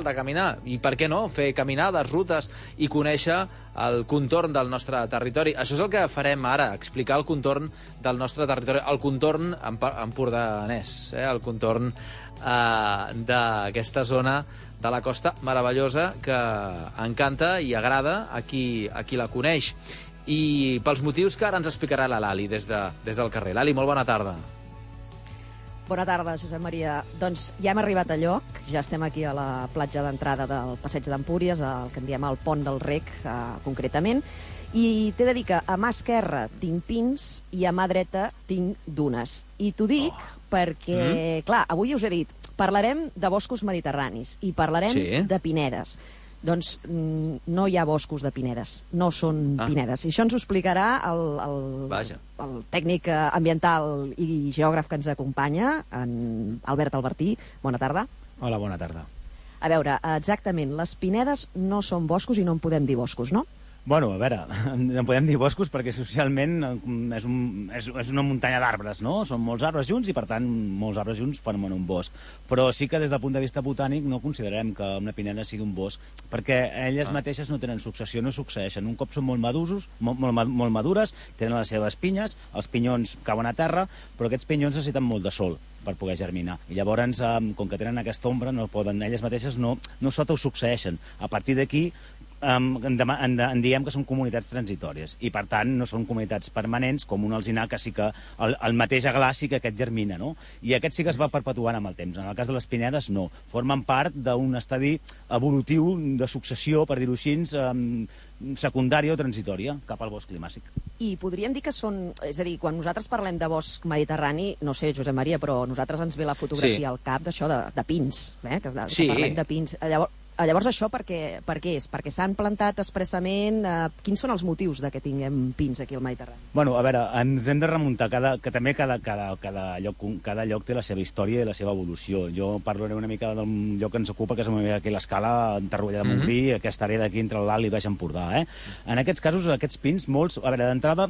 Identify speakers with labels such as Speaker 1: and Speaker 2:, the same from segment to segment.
Speaker 1: de caminar, i per què no, fer caminades, rutes i conèixer el contorn del nostre territori. Això és el que farem ara, explicar el contorn del nostre territori, el contorn empordanès, el contorn d'aquesta zona de la costa meravellosa que encanta i agrada a qui la coneix. I pels motius que ara ens explicarà la Lali des del carrer. Lali, molt bona tarda.
Speaker 2: Bona tarda, Josep Maria. Doncs ja hem arribat a lloc, ja estem aquí a la platja d'entrada del Passeig d'Empúries, el que en diem el Pont del Rec, concretament, i t'he de dir que a mà esquerra tinc pins i a mà dreta tinc dunes. I t'ho dic perquè, clar, avui us he dit, parlarem de boscos mediterranis i parlarem de pinedes. Doncs no hi ha boscos de pinedes, no són pinedes. I això ens ho explicarà el tècnic ambiental i geògraf que ens acompanya, en Albert Albertí. Bona tarda.
Speaker 3: Hola, bona tarda.
Speaker 2: A veure, exactament, les pinedes no són boscos i no en podem dir boscos, no?
Speaker 3: Bueno, a veure, en podem dir boscos perquè socialment és una muntanya d'arbres, no? Són molts arbres junts i, per tant, molts arbres junts formen un bosc. Però sí que des del punt de vista botànic no considerem que una pineda sigui un bosc, perquè elles mateixes no tenen successió, no succeeixen. Un cop són molt madures, tenen les seves pinyes, els pinyons cauen a terra, però aquests pinyons necessiten molt de sol per poder germinar. I llavors, com que tenen aquesta ombra, no poden, elles mateixes no s'autosucceeixen. A partir d'aquí, en diem que són comunitats transitòries i, per tant, no són comunitats permanents com un alzinar, que sí que el mateix aglà sí que aquest germina, no? I aquest sí que es va perpetuant amb el temps. En el cas de les pinedes, no. Formen part d'un estadi evolutiu de successió, per dir-ho així, secundària o transitòria cap al bosc climàtic.
Speaker 2: I podríem dir que són... És a dir, quan nosaltres parlem de bosc mediterrani, no sé, Josep Maria, però a nosaltres ens ve la fotografia al cap d'això de pins, que parlem de pins. Llavors això per què és? Perquè s'han plantat expressament? Quins són els motius de que tinguem pins aquí al Mediterrani?
Speaker 3: Bueno, a veure, ens hem de remuntar que també cada lloc té la seva història i la seva evolució. Jo parlaré una mica del lloc que ens ocupa, que és una mica aquí l'escala, en Torroella de Montgrí, aquesta àrea d'aquí entre l'Alt i Baix Empordà. En aquests casos, aquests pins, molts... A veure, d'entrada,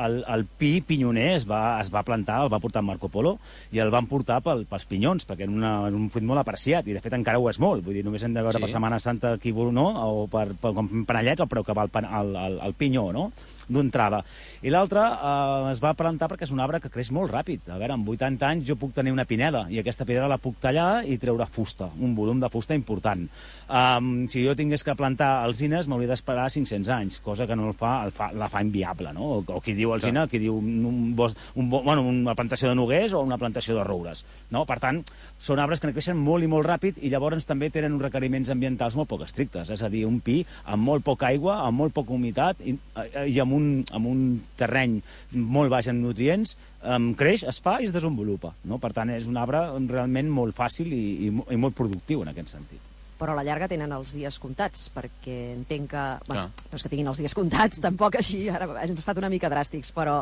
Speaker 3: el pi pinyoner es va plantar, el va portar Marco Polo, i el van portar pels pinyons, perquè era un fruit molt apreciat, i de fet encara ho és molt. Vull dir, només hem de veure Setmana Santa aquí, no? O com panellets, el preu que va el pinyó, no? D'entrada. I l'altre es va plantar perquè és un arbre que creix molt ràpid. A veure, amb 80 anys jo puc tenir una pineda, i aquesta pineda la puc tallar i treure fusta, un volum de fusta important. Si jo tingués que plantar alzines, m'hauria d'esperar 500 anys, cosa que no la fa inviable, no? O qui diu alzina, qui diu una plantació de noguers o una plantació de roures, no? Per tant, són arbres que creixen molt i molt ràpid, i llavors també tenen uns requeriments ambientals molt poc estrictes, és a dir, un pi amb molt poca aigua, amb molt poca humitat i amb un terreny molt baix en nutrients, creix, es fa i es desenvolupa, no? Per tant, és un arbre realment molt fàcil i molt productiu en aquest sentit.
Speaker 2: Però a la llarga tenen els dies comptats, perquè entenc que... Bueno, no és que tinguin els dies comptats, tampoc així, ara hem estat una mica dràstics, però,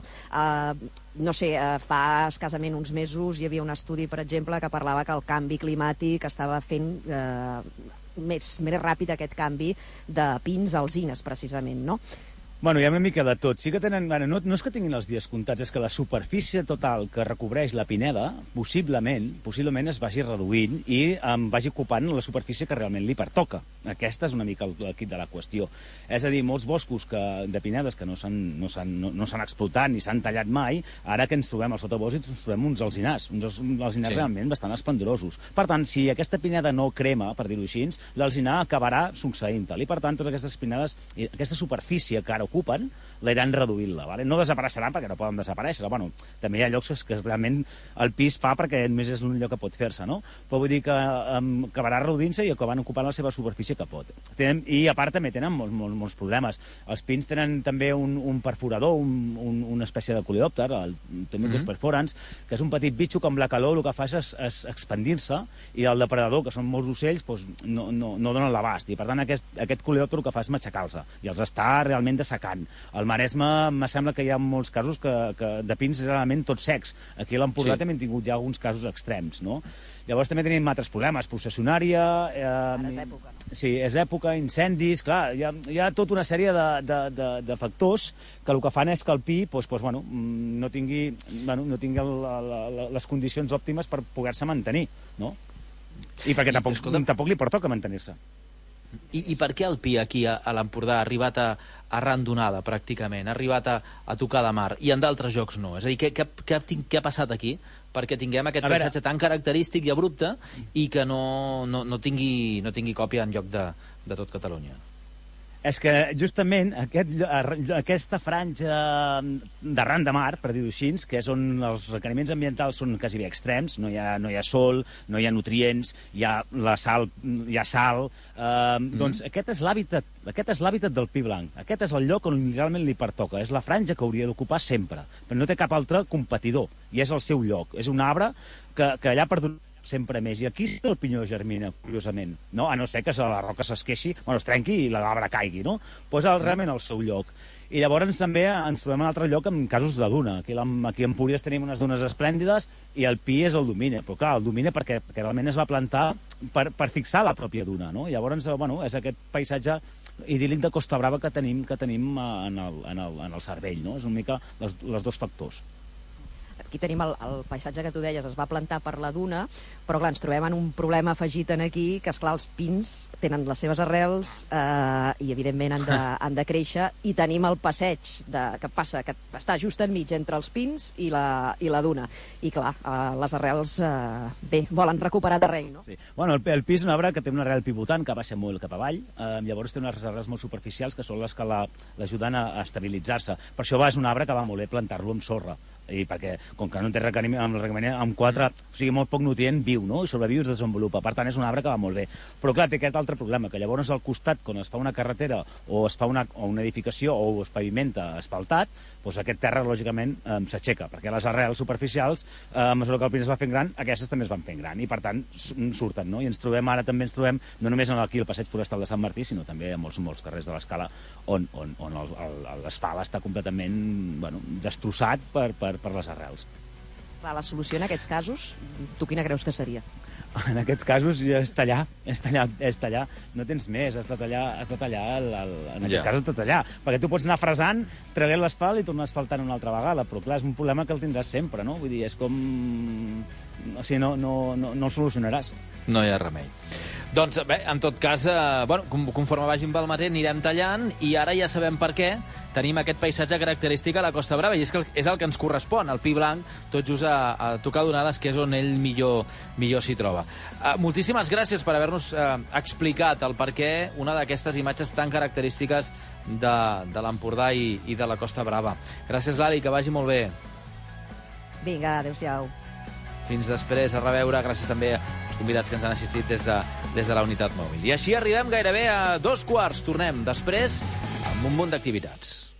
Speaker 2: no sé, fa escassament uns mesos hi havia un estudi, per exemple, que parlava que el canvi climàtic estava fent més ràpid aquest canvi de pins a alzines, precisament, no?
Speaker 3: Bueno, hi ha una mica de tot. Sí que tenen... No és que tinguin els dies comptats, és que la superfície total que recobreix la pineda possiblement es vagi reduint i vagi ocupant la superfície que realment li pertoca. Aquesta és una mica el quid de la qüestió. És a dir, molts boscos de pinedes que no s'han explotat ni s'han tallat mai, ara que ens trobem al sotabosc ens trobem uns alzinars realment bastant esplendorosos. Per tant, si aquesta pineda no crema, per dir-ho així, l'alzinar acabarà succeint-la. I per tant, totes aquestes pinedes, aquesta superfície que ara ocupen, l'aniran reduint-la. No desapareixeran perquè no poden desaparèixer. Bueno, també hi ha llocs que realment el pis fa perquè només és l'únic lloc que pot fer-se, no? Però vull dir que acabarà reduint-se i acabarà ocupant la seva superfície que pot. I a part també tenen molts problemes. Els pins tenen també un perforador, una espècie de coleòpter, el Tomicus perforans, que és un petit bitxo que amb la calor el que fa és expandir-se, i el depredador, que són molts ocells, no donen l'abast. I per tant aquest coleòpter el que fa és matxacar-los i els està realment dessecant. Al Maresme em sembla que hi ha molts casos de pins realment tots secs. Aquí a l'Empordà també hem tingut ja alguns casos extrems, no? Llavors també tenim altres problemes, processionària...
Speaker 2: Ara és època, no?
Speaker 3: Sí, és època, incendis, clar, hi ha tota una sèrie de factors que el que fan és que el pi no tingui les condicions òptimes per poder-se mantenir, no? I perquè tampoc li pertoca mantenir-se.
Speaker 1: I per què el Pi aquí a l'Empordà ha arribat arran d'onada, pràcticament? Ha arribat a tocar de mar i en d'altres jocs no? És a dir, què ha passat aquí perquè tinguem aquest paisatge tan característic i abrupte i que no tingui còpia en lloc de tot Catalunya?
Speaker 3: És que justament aquesta franja d'arran de mar, per dir-ho així, que és on els requeriments ambientals són quasi bé extrems, no hi ha sol, no hi ha nutrients, hi ha sal, doncs aquest és l'hàbitat del pi blanc. Aquest és el lloc on realment li pertoca. És la franja que hauria d'ocupar sempre, però no té cap altre competidor, i és el seu lloc. És un arbre que allà per sempre més. I aquí sí que el pinyó germina, curiosament, no? A no ser que la roca s'esqueixi, es trenqui i l'arbre caigui, no? Posa realment al seu lloc. I llavors també ens trobem en un altre lloc amb casos de duna. Aquí a Empúries tenim unes dunes esplèndides i el pi és el domina. Però clar, el domina perquè realment es va plantar per fixar la pròpia duna, no? Llavors, és aquest paisatge idíl·lic de Costa Brava que tenim en el cervell, no? És una mica els dos factors.
Speaker 2: Aquí tenim el paisatge que tu deies, es va plantar per la duna, però clar, ens trobem en un problema afegit en aquí, que esclar, els pins tenen les seves arrels i evidentment han de créixer, i tenim el passeig que passa, que està just enmig entre els pins i la duna. I clar, les arrels, volen recuperar terreny, no?
Speaker 3: Sí. Bueno, el pi és un arbre que té una arrel pivotant que baixa molt cap avall, llavors té unes arrels molt superficials que són les que l'ajuden a estabilitzar-se. Per això és un arbre que va molt bé plantar-lo amb sorra, i perquè, com que no té requeriment amb 4, o sigui, molt poc nutrient, viu, no? I sobreviu i es desenvolupa. Per tant, és un arbre que va molt bé. Però, clar, té aquest altre problema, que llavors al costat, quan es fa una carretera o es fa una edificació o es pavimenta asfaltat, doncs aquest terra, lògicament, s'aixeca, perquè les arrels superficials, a mesura que el pin es va fent gran, aquestes també es van fent gran, i per tant surten, no? I ens trobem, no només aquí al passeig forestal de Sant Martí, sinó també a molts carrers de l'Escala, on l'asfalt està completament destrossat per les arrels.
Speaker 2: La solució en aquests casos, tu quina creus que seria?
Speaker 3: En aquests casos és tallar. No tens més, has de tallar, en aquest cas has de tallar, perquè tu pots anar fresant, traient l'asfalt i tornar asfaltant una altra vegada, però clar, és un problema que el tindràs sempre, no? Vull dir, és com... O sigui, no el solucionaràs.
Speaker 1: No hi ha remei. Doncs bé, en tot cas, conforme vagin pel matí anirem tallant i ara ja sabem per què tenim aquest paisatge característic a la Costa Brava i és que és el que ens correspon, el pi blanc, tot just a tocar d'onades, que és on ell millor s'hi troba. Moltíssimes gràcies per haver-nos explicat el per què una d'aquestes imatges tan característiques de l'Empordà i de la Costa Brava. Gràcies, Lali, que vagi molt bé.
Speaker 2: Vinga, adéu-siau.
Speaker 1: Fins després, a reveure. Gràcies també als convidats que ens han assistit des de la unitat mòbil. I així arribem gairebé a 2 quarts. Tornem després amb un munt d'activitats.